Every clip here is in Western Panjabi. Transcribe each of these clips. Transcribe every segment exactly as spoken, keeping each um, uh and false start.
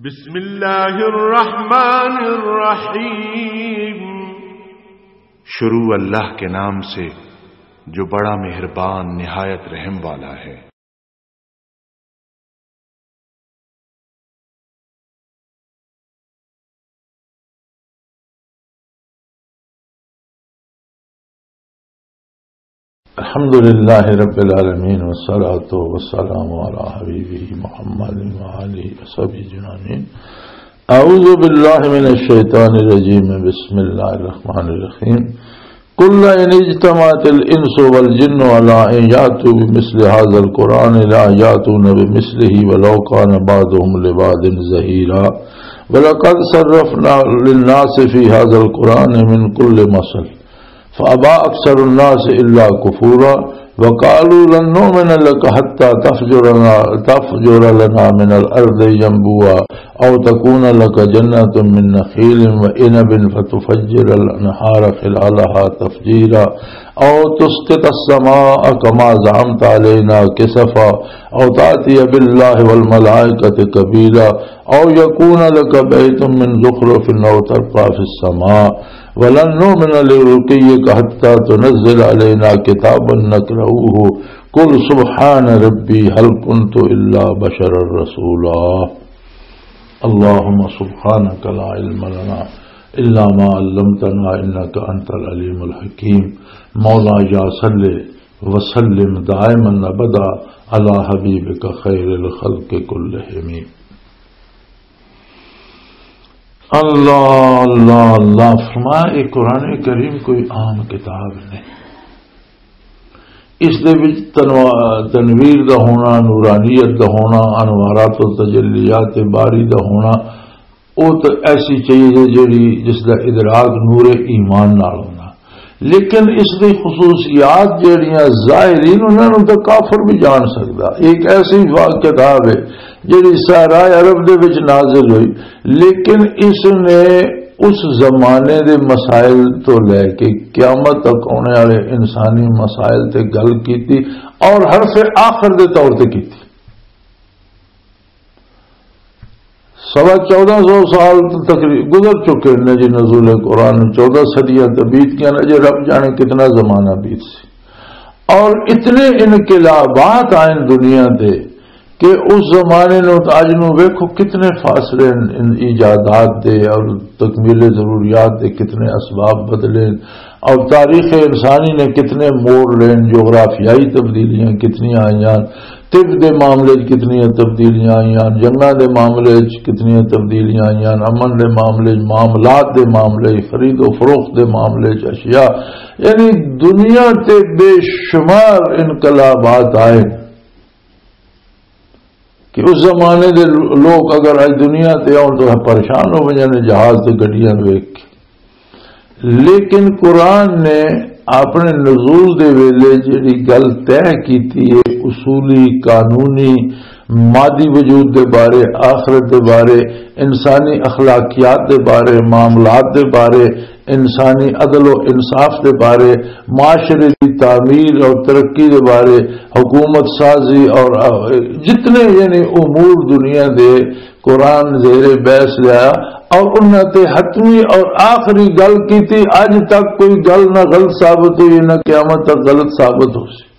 بسم اللہ الرحمن الرحیم۔ شروع اللہ کے نام سے، جو بڑا مہربان، نہایت رحم والا ہے۔ الحمد لله رب العالمين، والصلاة والسلام على حبيبه محمد وآله وصحبه أجمعين. أعوذ بالله من الشيطان الرجيم. بسم الله الرحمن الرحيم. قل لئن اجتمعت الإنس والجن على أن يأتوا بمثل هذا القرآن لا يأتون بمثله ولو كان بعضهم لبعض ظهيرا. ولقد صرفنا للناس في هذا القرآن من كل مثل فأبى أكثر الناس إلا كفورا وقالوا لن نؤمن لك حتى تفجر لنا، تفجر لنا من الأرض ينبوعا أو تكون لك جنة من نخيل وعنب فتفجر الأنهار خلالها تفجيرا أو تسقط السماء كما زعمت علينا كسفا أو تأتي بالله والملائكة قبيلا أو يكون لك بيت من زخرف أو ترقى في السماء ولن نؤمن لرقيك حتى تنزل علينا كتابا نقرؤه قل سبحان ربي هل كنت إلا بشرا رسولا. اللهم سبحانك لا علم لنا إلا ما علمتنا إنك أنت العليم الحكيم. مولا يا صل وسلم دائما أبدا على حبيبك خير الخلق كلهم. اللہ، اللہ، اللہ فرمایا، یہ قرآن کریم کوئی عام کتاب نہیں۔ اس دے وچ تنوا-، تنویر دا ہونا، نورانیت دا ہونا، انوارات و تجلیات باری دا ہونا، او تے ایسی چیز ہے جڑی، جس دا ادراک نور ایمان نال ہونا۔ لیکن اس دی خصوصیات جڑیاں ظاہرین، انہاں نوں تے کافر بھی جان سکدا۔ ایک ایسی وا-، کتاب ہے جڑی صحرائے عرب دے وچ نازل ہوئی، لیکن اس نے اس زمانے دے مسائل تو لے کے قیامت تک آنے والے انسانی مسائل تے گل کیتی اور حرف آخر دے طور تے کیتی۔ سوا چودہ سو سال تقریب گزر چکے نے جی نزول قرآن، چودہ صدیاں تے بیت گئے نے، اجے رب جانے کتنا زمانہ بیت سی۔ اور اتنے انقلابات آئے دنیا دے کہ اس زمانے نو تے اج نو ویکھو کتنے فاصلے ان، ان ایجادات دے اور تکمیل ضروریات دے کتنے اسباب بدلے اور تاریخ انسانی نے کتنے موڑ لین، جغرافیائی تبدیلیاں کتنی آئیاں، طب دے معاملے وچ کتنی تبدیلیاں آئیاں، جنگاں دے معاملے وچ کتنی تبدیلیاں آئیاں، امن دے معاملے وچ، معاملات دے معاملے وچ، خرید و فروخت دے معاملے وچ، اشیاء، یعنی دنیا تے بے شمار انقلابات آئے کہ اس زمانے دے لوگ اگر اج دنیا تے آؤن تو پریشان ہو جانے جہاز تے گڈیاں ویکھ کے۔ لیکن قرآن نے اپنے نزول دے ویلے جڑی گل طے کیتی ہے، اصولی، قانونی، مادی وجود دے بارے، آخرت دے بارے، انسانی اخلاقیات دے بارے، معاملات دے بارے، انسانی عدل و انصاف دے بارے، معاشرے دی تعمیر اور ترقی دے بارے، حکومت سازی اور، آ، جتنے یعنی امور دنیا دے قرآن زیر بحث لیا اور انہاں تے حتمی اور آخری گل کیتی۔ اج تک کوئی گل نہ غلط ثابت ہوئی، نہ قیامت تک غلط ثابت ہو سی۔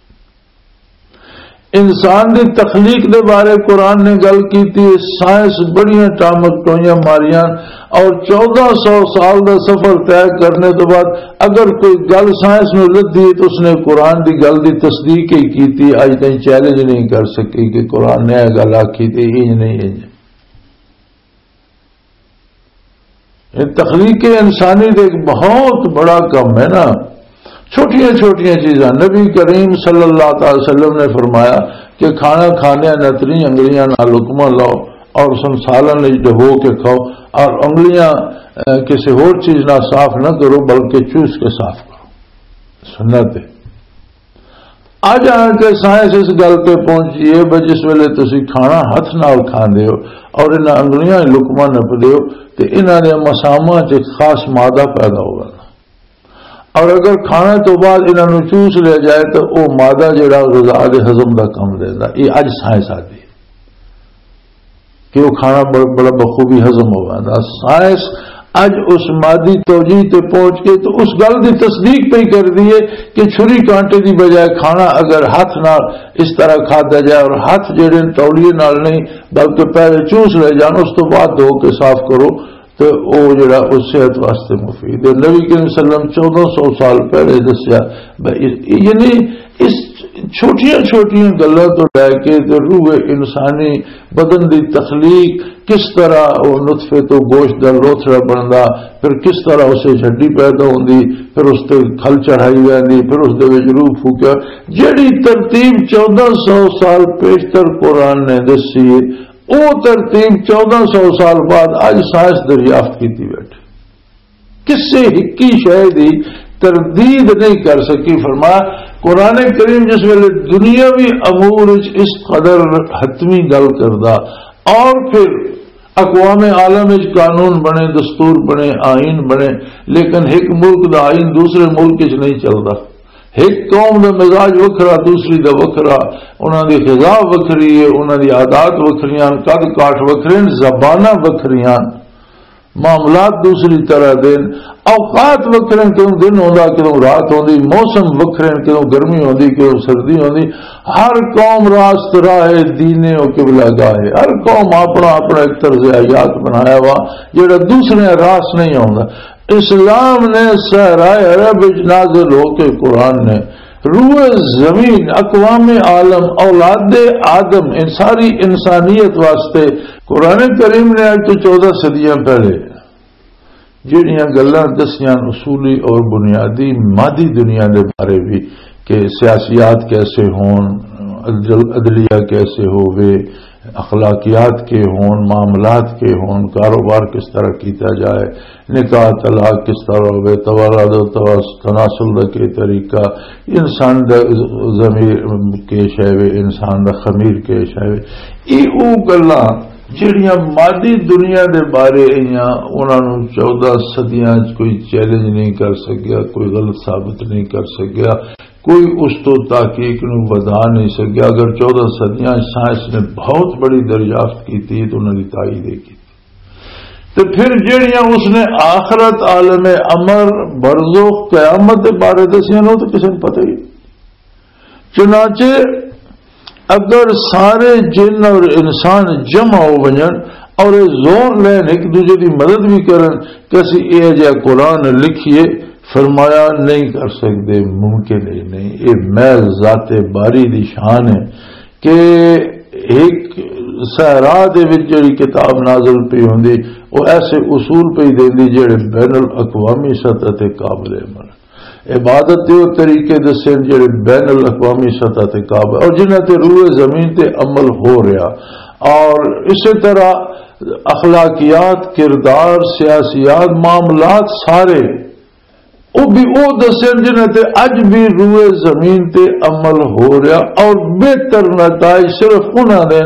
انسان دی تخلیق دے بارے قرآن نے گل کیتی ہے، سائنس بڑیاں ٹامک ٹوئیاں ماریاں اور چودہ سو سال دا سفر طے کرنے تو بعد اگر کوئی گل سائنس نو لدھی ہے تو اس نے قرآن دی گل دی تصدیق ہی کیتی، اج تائیں چیلنج نہیں کر سکی کہ قرآن نے یہ گل آکھی تے انج نہیں انج۔ یہ تخلیق انسانی دے ایک بہت بڑا کم ہے نا۔ چھوٹیاں چھوٹیاں چیزاں، نبی کریم صلی اللہ تعالی وسلم نے فرمایا کہ کھانا کھانے نتری انگلیاں نال لقمہ لو اور سنسالن وچ ڈبو کے کھاؤ اور انگلیاں، اے، کسی ہور چیز نال صاف نہ کرو بلکہ چوس کے صاف کرو۔ سنت ہے۔ اج آن کے سائنس اس گل تے پہنچی ہے بھئی جس ویلے تسی کھانا ہتھ نال کھاندے ہو اور انہاں انگلیاں وچ لقمہ نپدے ہو تے انہاں دے مساماں 'چ ایک خاص مادہ پیدا ہو ویندا، اور اگر کھانے تو بعد انہاں نوں چوس لیا جائے تو او مادہ جڑا غذا دے ہضم دا کم دیندا۔ یہ اج سائنس آدھی ہے۔ کہ وہ کھانا بڑ-، بڑا بخوبی ہضم ہو جاتا۔ سائنس اج اس مادی توجیہ تے پہنچ کے تو اس گل دی تصدیق پہ ہی کر دیے کہ چھری کانٹے دی بجائے کھانا اگر ہاتھ نال اس طرح کھادا جائے اور ہاتھ جڑے تولیے نال نہیں بلکہ پہلے چوس لے جان، اس تو بعد دھو کے صاف کرو، تو وہ جڑا اس صحت واسطے مفید ہے۔ نبی کریم صلی اللہ علیہ وسلم چودہ سو سال پہلے دسیا، بھائی، یعنی اس چھوٹیاں چھوٹیاں گلاں تو لے کے تے روح انسانی بدن دی تخلیق، کس طرح وہ نطفے تو گوشت دا لوتھڑا بندا، پھر کس طرح اسے ہڈی پیدا ہوندی، پھر اس تے کھل چڑھائی ویندی، پھر اس دے وچ روح پھوکیا۔ جیڑی ترتیب چودہ سو سال پیشتر قرآن نے دسی ہے، او ترتیب چودہ سو سال بعد اج سائنس دریافت کیتی بیٹھے۔ کسے ہکی شے دی تردید نہیں کر سکی۔ فرمایا، قرآن کریم جس ویلے دنیاوی امور وچ اس قدر حتمی گل کردا، اور پھر اقوام عالم وچ قانون بنے، دستور بنے، آئین بنے، لیکن ایک ملک دا آئین دوسرے ملک وچ نہیں چلدا۔ ایک قوم دا مزاج وکھرا، دوسری دا وکھرا، انہاں دی غذا وکھری ہے، انہاں دی عادات وکھریاں، قد کاٹھ وکھرے، زباناں وکھریاں، معاملات دوسری طرح دے، اوقات وکھرے، کدوں دن ہوندا، کدوں رات ہوندی، موسم وکھرے، کدوں گرمی ہوندی، کدوں سردی ہوندی۔ ہر قوم راست راہ دین و قبلہ گاہ ہے۔ ہر قوم اپنا اپنا ایک طرز حیات بنایا وا، جڑا دوسرے راس نہیں ہوندا۔ اسلام نے صحرائے عرب وچ نازل ہو کے قرآن نے روئے زمین، اقوام عالم، اولاد آدم، ان ساری انسانیت واسطے قرآن کریم نے اج تو چودہ صدیاں پہلے جڑیاں گلاں دسیاں اصولی اور بنیادی مادی دنیا دے بارے بھی کہ سیاسیات کیسے ہون، عدل-، عدلیہ کیسے ہووے، اخلاقیات کے ہون، معاملات کے ہون، کاروبار کس طرح کیتا جائے، نکاح طلاق کس طرح ہوئے، توالد و تواس-، تناسل دا کے طریقہ، انسان دا ضمیر کے شے وے، انسان دا خمیر کے شے وے۔ یہ او گلاں جڑیاں مادی دنیا دے بارے ایاں، انہاں نوں چودہ صدیاں چ کوئی چیلنج نہیں کر سکیا، کوئی غلط ثابت نہیں کر سکیا، کوئی اس تو تحقیق نوں ودھا نہیں سکیا۔ اگر چودہ صدیاں چ سائنس نے بہت بڑی دریافت کیتی تو انہاں دی تائید ہی کیتی۔ تے پھر جڑیاں اس نے آخرت، عالم امر، برزخ، قیامت دے بارے دسیاں نو تو کسی نوں پتہ ہی نہیں۔ چنانچہ اگر سارے جن اور انسان جمع ہو ونجن اور یہ زور لین ایک دوسرے دی مدد بھی کرن کہ اسی اے جا قرآن لکھیے، فرمایا نہیں کر سکتے، ممکن ہی نہیں۔ یہ محض ذات باری دی شان ہے کہ ایک صحرا دے وچ جڑی کتاب نازل پئی ہوندی، وہ ایسے اصول پئی دیندی جڑے بین الاقوامی سطح تے قابل عمل۔ عبادت دے وہ طریقے دسے جڑے بین الاقوامی سطح تے قابل اور جنہاں تے روئے زمین تے عمل ہو رہا، اور اسی طرح اخلاقیات، کردار، سیاسیات، معاملات سارے وہ بھی وہ دسن جنہاں تے اج بھی روئے زمین تے عمل ہو رہا، اور بہتر نتائج صرف انہاں دے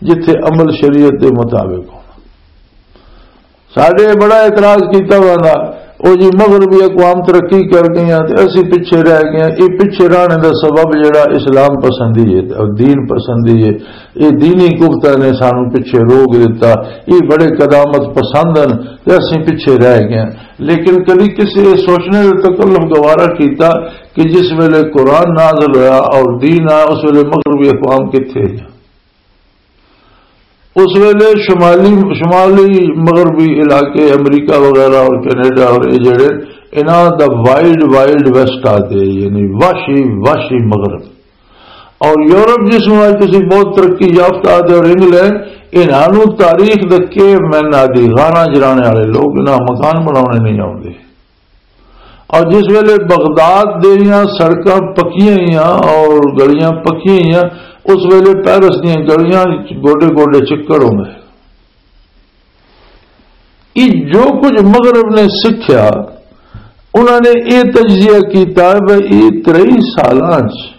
جتھے عمل شریعت دے مطابق ہونا۔ ساڈے بڑا اعتراض کیتا ہوا نا، او جی مغربی اقوام ترقی کر گئیاں تے اسی پیچھے رہ گئے ہیں۔ یہ پیچھے رہنے دا سبب جڑا اسلام پسندی ہے اور دین پسندی ہے، یہ دینی قوتاں نے سانو پیچھے روک دیتا۔ یہ بڑے قدامت پسند ہیں تے اسی پیچھے رہ گئے ہیں۔ لیکن کدی کسی یہ سوچنے کا تکلف گوارا کیتا کہ جس ویلے قرآن نازل ہوا اور دین آیا، اس ویلے مغربی اقوام کتھے ہیں؟ اس ویلے شمالی، شمالی مغربی علاقے امریکہ وغیرہ اور کینیڈا اور یہ جڑے، انہاں دا وائلڈ، وائلڈ ویسٹ آتے، یعنی وحشی، وحشی مغرب۔ اور یورپ جس میں آج کسی بہت ترقی یافتہ آتے اور انگلینڈ، انہاں نوں تاریخ دے کیو مین آدی، غاراں جرانے والے لوگ، انہاں مکان بناونے نہیں آتے۔ اور جس ویلے بغداد دیاں سڑکاں پکیاں ہوئیاں اور گلیاں پکیاں ہوئیاں، اس ویلے پیرس دیاں گلیاں وچ گوڈے گوڈے چکڑ ہوندے۔ یہ جو کچھ مغرب نے سکھیا، انہاں نے یہ تجزیہ کیتا ہے، یہ ترئی سالاں چ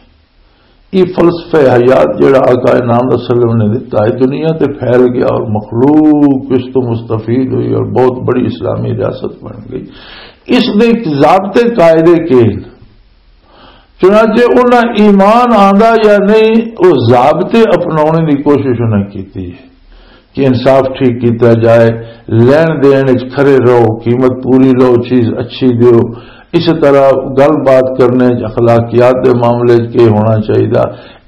یہ فلسفہ حیات جڑا آقا انعام صلی اللہ علیہ وسلم نے دتا ہے، دنیا تے پھیل گیا اور مخلوق اس تو مستفید ہوئی اور بہت بڑی اسلامی ریاست بن گئی۔ اس دے ایک ضابطے قاعدے کے ہیں۔ چنانچہ انہاں ایمان آندا یا نہیں، وہ ضابطے اپنانے دی کوشش انہاں کیتی ہے۔ کہ انصاف ٹھیک کیتا جائے، لین دین وچ کھرے رہو، قیمت پوری لو، چیز اچھی دیو۔ اس طرح گل بات کرنے وچ، اخلاقیات دے معاملے وچ کیا ہونا چاہیے،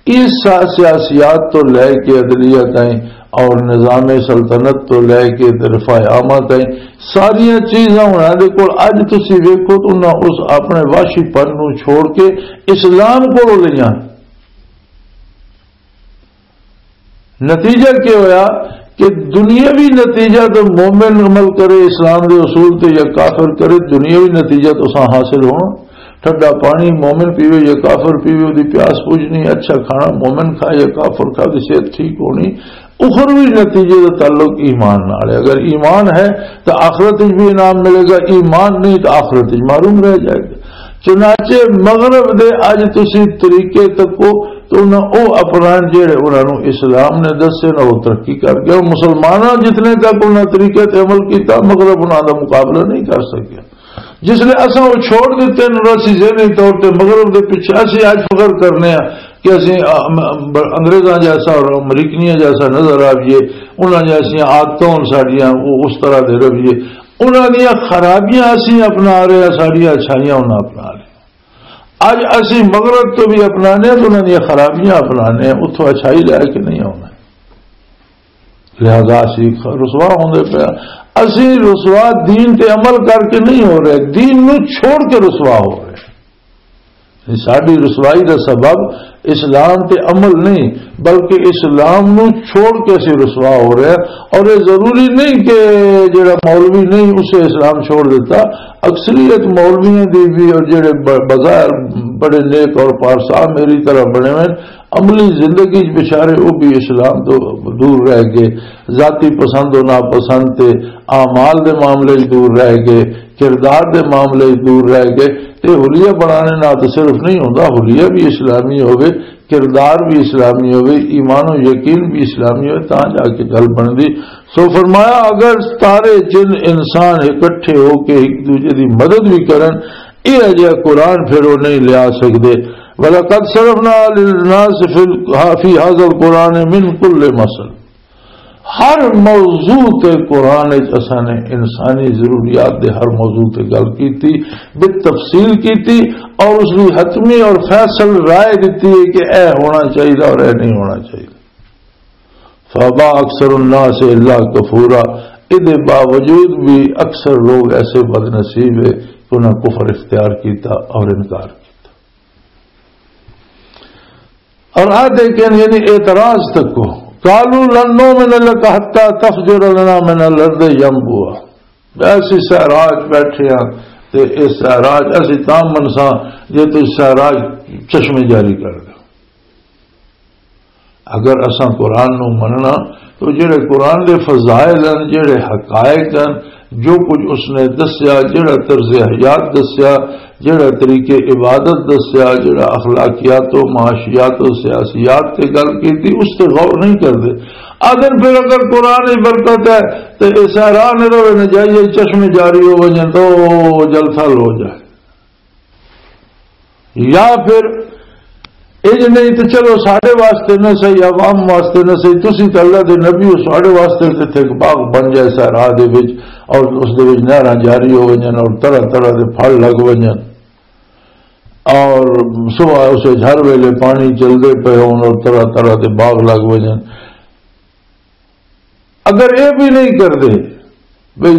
اس سا-، سیاسیات تو لے کے عدلیہ تائیں اور نظام سلطنت تو لے کے رفاع عامہ تائیں، ساریاں چیزاں انہاں دے کول۔ اج تسی ویکھو تو انہاں اس اپنے وحشی پن نوں چھوڑ کے اسلام کولوں لئیاں۔ نتیجہ کیا ہویا؟ کہ دنیاوی نتیجہ تو مومن عمل کرے اسلام دے اصول تے یا کافر کرے، دنیاوی نتیجہ تو سا حاصل ہونا۔ ٹھڈا پانی مومن پیوے یا کافر پیوے، دی پیاس بجھنی، اچھا کھانا مومن کھا یا کافر کھا، دی صحت ٹھیک ہونی۔ اخروی نتیجے دا تعلق ایمان نال ہے۔ اگر ایمان ہے تو آخرت وچ بھی انعام ملے گا، ایمان نہیں تو آخرت وچ محروم رہ جائے گا۔ چنانچہ مغرب دے اج تسی طریقے تکو تو انہاں او اپنان جڑے انہاں نوں اسلام نے دسے نہ، او ترقی کر گیا۔ مسلماناں جتنے تک انہاں طریقے تے عمل کیتا، مغرب انہاں دا مقابلہ نہیں کر سکیا۔ جس لئے اساں او چھوڑ دتے نے، اور اسی ذہنی طور تے مغرب دے پیچھے، اسی اج فخر کرنے ہاں کہ اسی، ام، ام، انگریزاں جیسا اور امریکنیاں جیسا نظر آئیے، انہاں جیسیاں عادتاں ہن ساڈیاں، او اس طرح دے رویے، انہاں دیاں خرابیاں اسی اپنا رہے ہاں، ساڈیاں اچھائیاں انہاں اپنا رہے۔ اج اسی مغرب تو بھی اپنانے ہیں تو انہاں دیاں خرابیاں اپنانے ہیں، اتھوں اچھائی لے کے نہیں آنا۔ لہذا اسی رسوا ہوندے پے ہاں۔ اسی رسوا دین تے عمل کر کے نہیں ہو رہے، دین نو چھوڑ کے رسوا ہو رہے ہیں۔ ساڈی رسوائی دا سبب اسلام تے عمل نہیں، بلکہ اسلام نو چھوڑ کے اسی رسوا ہو رہے ہیں۔ اور یہ ضروری نہیں کہ جڑا مولوی نہیں، اسے اسلام چھوڑ دیتا۔ اکثریت مولویوں دی بھی، اور جڑے ب-، بظاہر بڑے نیک اور پارسا میری طرح بنے ہوئے ہیں، عملی زندگی وچ بیچارے وہ بھی اسلام تو دور رہ گئے، ذاتی پسند و ناپسند تے اعمال دے معاملے وچ دور رہ گئے، کردار دے معاملے وچ دور رہ گئے۔ تے حلیہ بنانے نال تو صرف نہیں ہوندا، حلیہ بھی اسلامی ہوے، کردار بھی اسلامی ہوے، ایمان و یقین بھی اسلامی ہوے، تاں جا کے گل بندی۔ سو فرمایا، اگر سارے جن انسان اکٹھے ہو کے ایک دوجے دی مدد بھی کرن، یہ اجہا قرآن پھر وہ نہیں لیا سکدے۔ وَلَقَدْ صَرَفْنَا لِلنَّاسِ فِي ال-، فِي هَذَا الْقُرْآنِ مِنْ كُلِّ مَثَلٍ۔ ہر موضوع تے قرآن وچ اساں نے انسانی ضروریات دے ہر موضوع تے گل کیتی، بالتفصیل کیتی، اور اس دی حتمی اور فیصل رائے دتی ہے کہ اے ہونا چاہیے اور اے نہیں ہونا چاہیے۔ فَأَبَى أَكْثَرُ النَّاسِ إِلَّا كُفُورًا، اس دے باوجود بھی اکثر لوگ ایسے بد نصیب ہے کہ انہاں کفر اختیار کیتا اور انکار کیتا۔ اور آدھے کہن، یعنی اعتراض تک کو، قَالُوا لَن نُّؤْمِنَ لَكَ حَتَّىٰ تَفْجُرَ لَنَا مِنَ الْأَرْضِ يَنبُوعًا۔ ایسی صحرا چ بیٹھے ہاں، تے اس صحرا چ اسی تاں منساں جے تسی صحرا چ چشمے جاری کر دو۔ اگر اساں قرآن نو مننا تو جڑے قرآن دے فضائل ہیں، جڑے حقائق ہیں، جو کچھ اس نے دسیا، جڑا طرز حیات دسیا، جڑا طریقے عبادت دسیا، جڑا اخلاقیات و معاشیات و سیاسیات تے گل کیتی، اس تے غور نہیں کردے۔ آدن پھر اگر قرآن ہی برکت ہے تے ایسا راہ نہ رہے نہ جائیے، چشمے جاری ہو وجن تو جل تھل ہو جائے۔ یا پھر انج نہیں تے چلو ساڈے واسطے نہ صحیح، عوام واسطے نہ صحیح، تسی تے اللہ دے نبی ہو، ساڈے واسطے تے اتھے ایک باغ بن جائے سہرا دے وچ، اور اس دے وچ نہراں جاری ہو وجن اور طرح طرح دے پھل لگ وجن، اور صبح اسے ہر ویلے پانی چلدے پے ہون اور طرح طرح دے باغ لگ وجن۔ اگر یہ بھی نہیں کردے، بھئی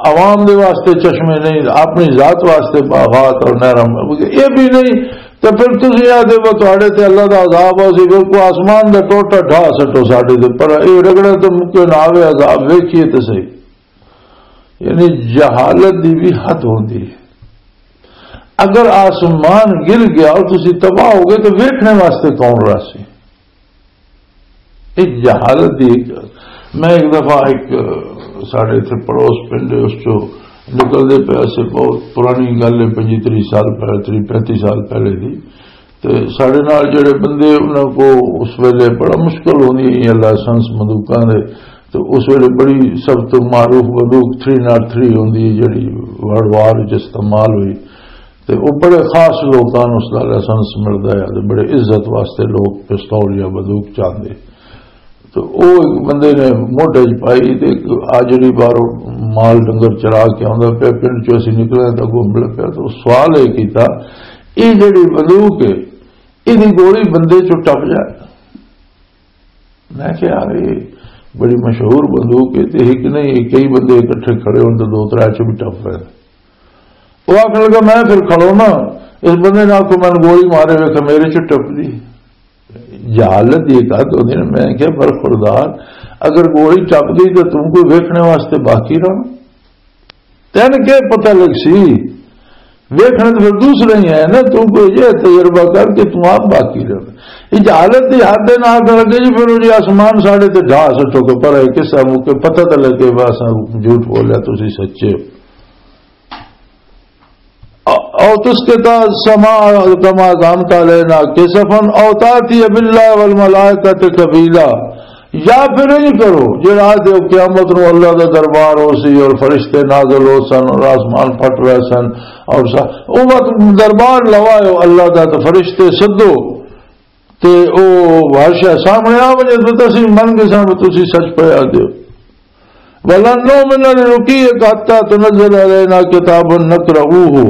عوام دے واسطے چشمے نہیں، اپنی ذات واسطے باغات اور نہراں، یہ بھی نہیں، تو پھر تسی آدھے وہ تہاڈے تے اللہ دا عذاب ہو سی، بالکل آسمان دا ٹوٹا ڈھا سٹو ساڈے تے، پر یہ رگڑا تو مکے نہ آوے، عذاب ویکھیے تو صحیح۔ یعنی جہالت دی بھی حد ہوندی ہے۔ اگر آسمان گر گیا اور تسی تباہ ہو گئے تو ویکھنے واسطے کون رہسی؟ ایک جہالت دی ایک، میں ایک دفعہ ایک، ساڈے اتھے پڑوس پنڈ ہے، اس چو نکلدے پے سے، بہت پرانی گل ہے، پنجی تری سال پہلے، تری پینتی سال پہلے دی۔ تے ساڈے نال جڑے بندے، انہاں کو اس ویلے بڑا مشکل ہوندی ہے لائسنس بندوقاں دے۔ تے اس ویلے بڑی سب تو معروف بندوق تھری ناٹ تھری ہوندی ہے، جڑی ورلڈ وار وچ استعمال ہوئی۔ تے او بڑے خاص لوکاں نوں اس دا لائسنس ملدا ہے، تے بڑے عزت واسطے لوگ پستول یا بندوق چاہندے۔ تو او ایک بندے نے موٹے چ پائی تے ایک آجڑی باہروں مال ڈنگر چرا کے آندا پیا، پنڈ چوں اسی نکلے تو اگوں مل پیا۔ تو سوال یہ کیتا، "یہ جڑی بندوق ہے، یہ گولی بندے چوں ٹپ جائے؟" میں کہا، "یہ بڑی مشہور بندوق ہے، تے ایک نہیں، کئی بندے اکٹھے کھڑے ہون تو دو ترے چ بھی ٹپ پے۔" وہ آخر لگا، "میں پھر کھڑو نا، اس بندے نے آخو میں گولی مارے، ویکھ میرے چ ٹپ دی۔" جہالت یہ کہا تو نہیں، میں کہا، "برخوردار، اگر گولی ٹپ گئی تو تم کوئی ویکھنے واسطے باقی رہنا؟ تین کے پتہ لگ سی، ویکھنے تو پھر دوسرے ہی ہے نا، تم کوئی یہ تجربہ کر کے تم آپ باقی رہنا۔" یہ جہالت کی حد دے نال کر کے جی، پھر وہ جی آسمان ساڑھے تے ڈھا سٹو کے پر ہے، کس موقع پتہ تو لگے، بس جھوٹ بولیا، تسی سچے ہو۔ او تسقط السماء كما زعمت علينا كسفا أو تأتي بالله والملائكة قبيلا، یا پھر انج کرو جڑا آدھے ہو قیامت نو اللہ دا دربار ہو سی اور فرشتے نازل ہو سن اور آسمان پھٹ رہے سن، اور سا-، او وقت دربار لوائے ہو اللہ دا، تو فرشتے سدو تے او ہر شے سامنے آ ونجے، تو تسی من گئے سن، تسی سچ پہ آ دیو۔ "ولن نؤمن لرقيك حتى تنزل علينا كتابا نقرؤه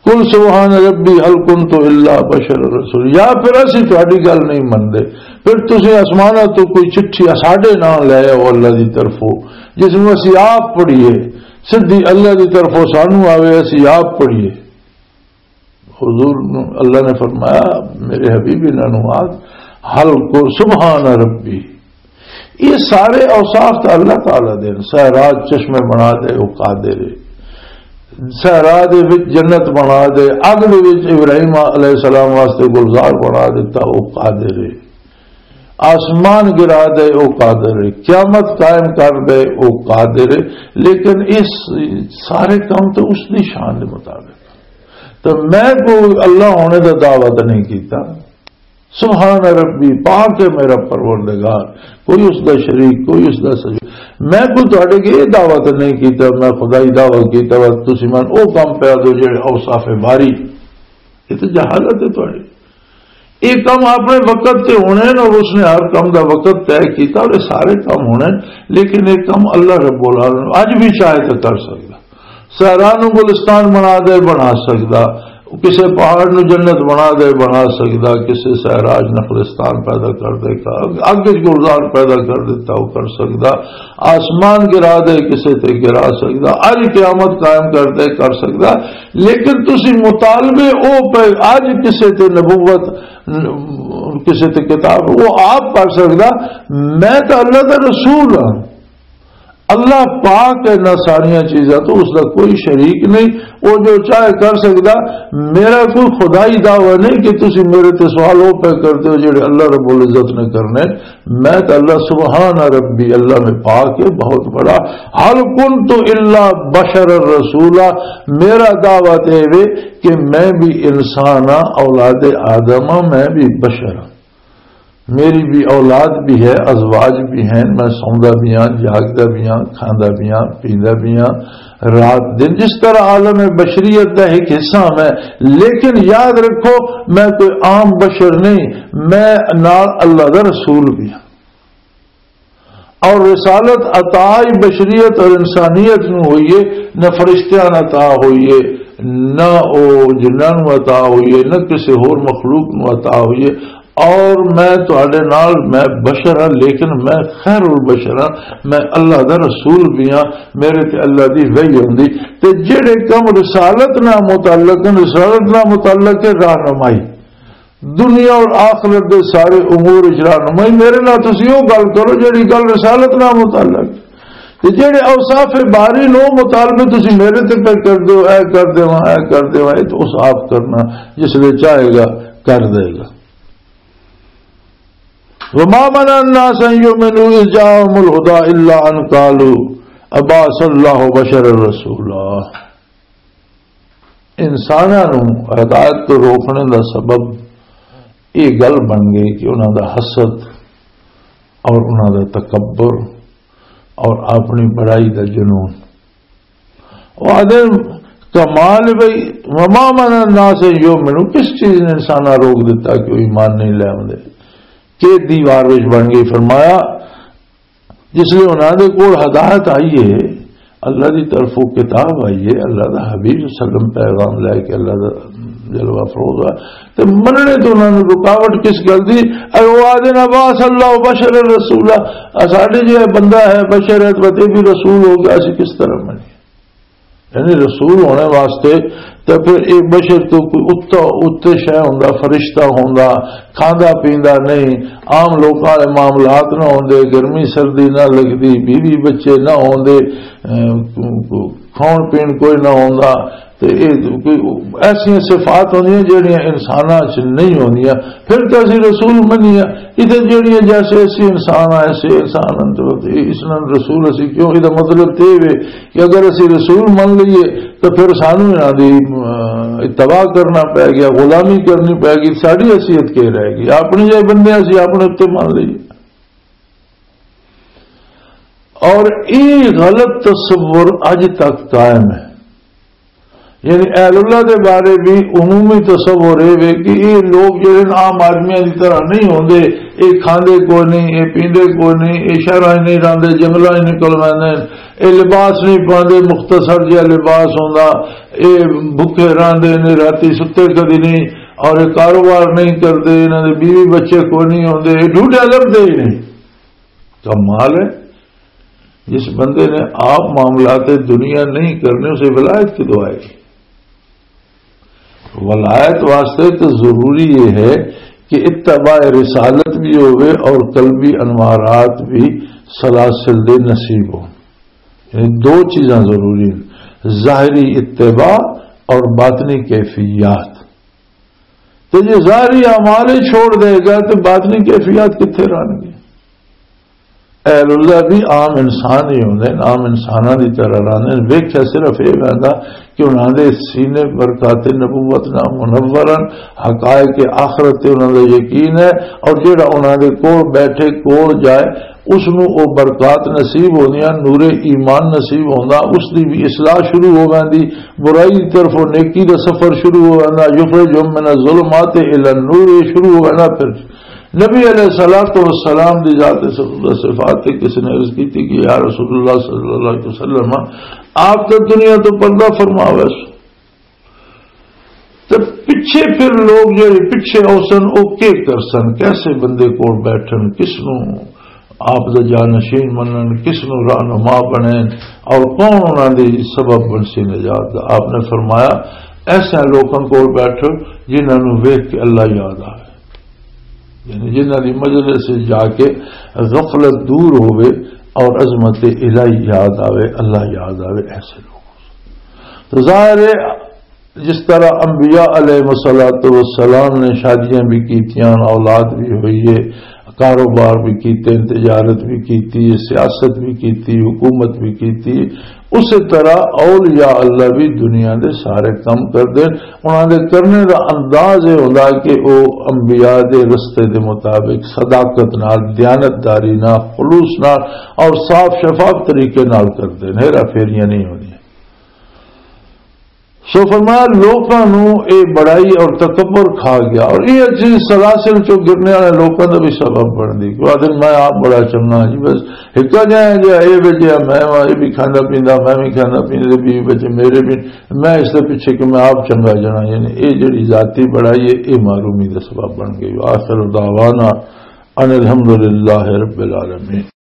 قل سبحان ربي هل كنت إلا بشرا رسولا۔" یا پھر اسی تہاڈی گل نہیں مندے، پھر تسی آسماناں تو کوئی چٹھی ساڈے نال لے آؤ اللہ دی طرفوں، جس نوں اسی آپ پڑھیے، سدھی اللہ دی طرفوں سانوں آوے، اسی آپ پڑھیے۔ حضور نو اللہ نے فرمایا، "میرے حبیب، انہاں نو آکھ، ہل کو سبحان ربی۔" یہ سارے اوصاف تو اللہ تعالیٰ دے، سہرا چشمے بنا دے، وہ قادر ہے۔ سہرا دے وچ جنت بنا دے، اگ دے وچ ابراہیم علیہ السلام واسطے گلزار بنا دیتا، وہ قادر ہے۔ آسمان گرا دے، وہ قادر ہے۔ قیامت قائم کر دے، وہ قادر ہے۔ لیکن اس سارے کام تو اس دی شان دے مطابق۔ تو میں کوئی اللہ ہونے دا دعویٰ تو نہیں کیتا۔ سبحان ربی، پاک ہے میرا پروردگار، کوئی اس دا شریک، کوئی اس دا سجود۔ میں کوئی تہاڈے کے یہ دعویٰ تو نہیں کیتا، میں خدائی دعویٰ کیتا، بس تسی من او کام پیا دو جڑے اوصاف باری۔ یہ تو جہالت ہے تہاڈی۔ یہ کام اپنے وقت تے ہونے ہیں اور اس نے ہر کام دا وقت طے کیتا اور یہ سارے کام ہونے ہیں، لیکن یہ کام اللہ رب العالمین اج بھی چاہے تو کر سکتا۔ صحرا نو گلستان بنا دے، بنا سکدا۔ کسے پہاڑ نو جنت بنا دے، بنا سکدا۔ کسے صحرا چ نخلستان پیدا کر دے، اگ وچ گلزار پیدا کر دیتا، وہ کر سکدا۔ آسمان گرا دے، کسے تے گرا سکدا۔ اج قیامت قائم کر دے، کر سکدا۔ لیکن تسی مطالبے او پہ، اج کسے تے نبوت، کسے تے کتاب، وہ آپ پڑھ سکدا۔ میں تو اللہ دا رسول ہاں۔ اللہ پاک ہے، نہ ساریاں چیزاں تو اس دا کوئی شریک نہیں، وہ جو چاہے کر سکدا۔ میرا کوئی خدائی دعویٰ نہیں کہ تسی میرے تے سوال وہ پہ کرتے ہو جڑے اللہ رب العزت نے کرنے۔ میں تو اللہ سبحان ربی، اللہ میں پاک ہے، بہت بڑا۔ ہل کنت الا بشر رسولا، میرا دعویٰ تے وے کہ میں بھی انسان ہاں، اولاد آدم ہاں، میں بھی بشر ہاں۔ میری بھی اولاد بھی ہے، ازواج بھی ہیں، میں سوندا بھی ہاں، جاگدا بھی ہاں، کھاندا بھی ہاں، پیندا بھی ہاں، رات دن جس طرح عالم بشریت دا ایک حصہ ہاں میں، لیکن یاد رکھو، میں کوئی عام بشر نہیں، میں نال اللہ دا رسول بھی ہاں۔ اور رسالت عطا بشریت اور انسانیت نو ہوئی ہے، نہ فرشتیاں نو عطا ہوئی ہے، نہ او جناں نو عطا ہوئی ہے، نہ کسی ہور مخلوق نو عطا ہوئی ہے۔ اور میں تہاڈے نال، میں بشر ہاں، لیکن میں خیر البشر ہاں، میں اللہ دا رسول بھی ہاں، میرے تے اللہ دی وحی ہوندی۔ تے جڑے کم رسالت نال متعلق ہیں، رسالت نال متعلق ہے رہنمائی، دنیا اور آخرت دے سارے امور وچ رہنمائی، میرے نال تسی او گل کرو جڑی گل رسالت نال متعلق۔ تے جڑے اوصاف باری نو مطالبے تسی میرے تے پہ کر دو، اے کر دیواں، اے کر دیواں، اے تو اوصاف کرنا جس لے چاہے گا کر دے گا۔ وما منع الناس ان يؤمنوا اذ جاءهم الهدى الا ان قالوا ابعث الله بشرا رسولا۔ انساناں نوں ہدایت تو روکنے دا سبب یہ گل بن گئی کہ انہاں دا حسد اور انہاں دا تکبر اور اپنی بڑائی دا جنون۔ وہ آدھے کمال بھئی، وما منع الناس ان یؤمنوا، کس چیز نے انساناں روک دیتا کہ وہ ایمان نہیں لے آوندے؟ کہ دیوار وچ بن گئی۔ فرمایا، جس لیے انہاں دے کول ہدایت آئی ہے، اللہ دی طرفوں کتاب آئی ہے، اللہ دا حبیب صلی اللہ علیہ وسلم پیغام لے کے اللہ دا جلوہ افروز ہے، تے مننے تو انہاں نوں رکاوٹ کس گل دی؟ اے او آدھے نا، "باس اللہ بشر رسولا"، آ ساڈے جے بندہ ہے، بشر ہے، تے بھی رسول ہو گیا، اسی کس طرح منی؟ یعنی رسول ہونے واسطے تے پھر ایک بشر تو کوئی اتا، اتے شے ہوندا، فرشتہ ہوندا، کھاندا پیندا نہیں، عام لوکاں والے معاملات نہ ہوندے، گرمی سردی نہ لگدی، بیوی بچے نہ ہوندے، اے، کھاؤن پین کوئی نہ ہوندا، تے اے کوئی ایسیاں صفات ہوندیاں جڑیاں انساناں 'چ نہیں ہوندیاں، پھر تے اسی رسول منیے۔ اتنے جڑیاں جیسے اسی انسان آ، ایسے انسان ہن، تے اس نال رسول اسی کیوں؟ یہ مطلب تے وے کہ اگر اسی رسول من لئیے تو پھر سانو انہاں دی، اہ، اتباع کرنا پے گیا، غلامی کرنی پے گی، ساڈی حیثیت کی رہ گئی؟ اپنے جے بندے اسی اپنے اُتے من لئیے۔ اور یہ غلط تصور اج تک قائم ہے۔ یعنی اہل اللہ دے بارے بھی عمومی تصور اے وے کہ یہ لوگ جڑے نا عام آدمیاں دی طرح نہیں ہوندے، یہ کھاندے کوئی نہیں، یہ پیندے کوئی نہیں، یہ شہراں 'چ نہیں رہندے، جنگلاں 'چ نکل ویندے، یہ لباس نہیں پاندے، مختصر جہا لباس ہوندا، یہ بھکھے رہندے نے، راتی ستے کدی نہیں، اور یہ کاروبار نہیں کردے، انہاں دے بیوی بچے کوئی نہیں ہوندے، یہ ڈھونڈے لبدے ہی نہیں۔ کمال ہے، جس بندے نے آپ معاملات دنیا نہیں کرنے، اسے ولایت کدوں آئے گی؟ ولایت واسطے تو ضروری یہ ہے کہ اتباع رسالت بھی ہوئے اور قلبی انوارات بھی سلاسل دے نصیب ہو۔ یعنی دو چیزاں ضروری ہیں، ظاہری اتباع اور باطنی کیفیات۔ تو یہ ظاہری اعمال ہی چھوڑ دے گا تو باطنی کیفیات کتھے رہن گی؟ اہل اللہ بھی عام انسان ہی ہوندے نے، عام انساناں دی طرح رہندے نے۔ ویکھیا صرف یہ ویندا کہ انہاں دے سینے برکات نبوت نہ منور ہن، حقائق آخرت تے انہاں دا یقین ہے، اور جیڑا انہاں دے کول بیٹھے، کول جائے، اس نو او برکات نصیب ہوندیاں، نور ایمان نصیب ہوندا، اس دی بھی اصلاح شروع ہو ویندی، برائی دی طرف نیکی دا سفر شروع ہو ویندا، یخرجہم من الظلمات الی النور، یہ شروع ہو ویندا۔ پھر نبی علیہ الصلوۃ والسلام دی ذات صفات تے کسی نے عرض کی تھی کہ یا رسول اللہ صلی اللہ علیہ وسلم، آپ تو دنیا تو پردہ فرما ہوئے سو، تے پچھے پھر لوگ جڑے پچھے اوسن، او کے کرسن؟ کیسے بندے کول بیٹھن؟ کس نو آپ دا جانشین منن؟ کس نو رہنما بنن؟ اور کون انہاں دی سبب بنسی نجات دا؟ آپ نے فرمایا، ایسے لوکاں کول بیٹھو جنہاں نو ویکھ کے اللہ یاد آوے، یعنی جنہاں دی مجلس سے جا کے غفلت دور ہوئے اور عظمت الہی یاد آوے، اللہ یاد آوے، ایسے لوگ۔ تو ظاہر ہے، جس طرح انبیاء علیہ الصلوۃ والسلام نے شادیاں بھی کیتیاں، اولاد بھی ہوئی ہے، کاروبار بھی کیتے، تجارت بھی کیتی، سیاست بھی کیتی، حکومت بھی کیتی، اسی طرح اولیاء اللہ بھی دنیا دے سارے کم کردے۔ انہاں دے کرنے دا انداز یہ ہوندا کہ او انبیاء دے رستے دے مطابق صداقت نال، دیانتداری نال، خلوص نال اور صاف شفاف طریقے نال کردے نے، ہیرا پھیریاں نہیں ہوندیاں۔ سو فرمایا، لوکاں نو اے بڑائی اور تکبر کھا گیا، اور یہ چیز سلاسل چوں گرنے والے لوکاں دا بھی سبب بن دی۔ کہ آدھے، "میں آپ بڑا چنگا ہاں جی، بس ہکا جایا جا، اے وجہ میں واں، اے بھی کھانا پیندا، میں بھی کھانا پیندا، بیوی بچے میرے بھی، میں اس دے پیچھے کہ میں آپ چنگا جانا"، یعنی اے جڑی ذاتی بڑائی ہے، اے معرومی دا سبب بن گئی۔ آخر دعوانا ان الحمدللہ رب العالمین۔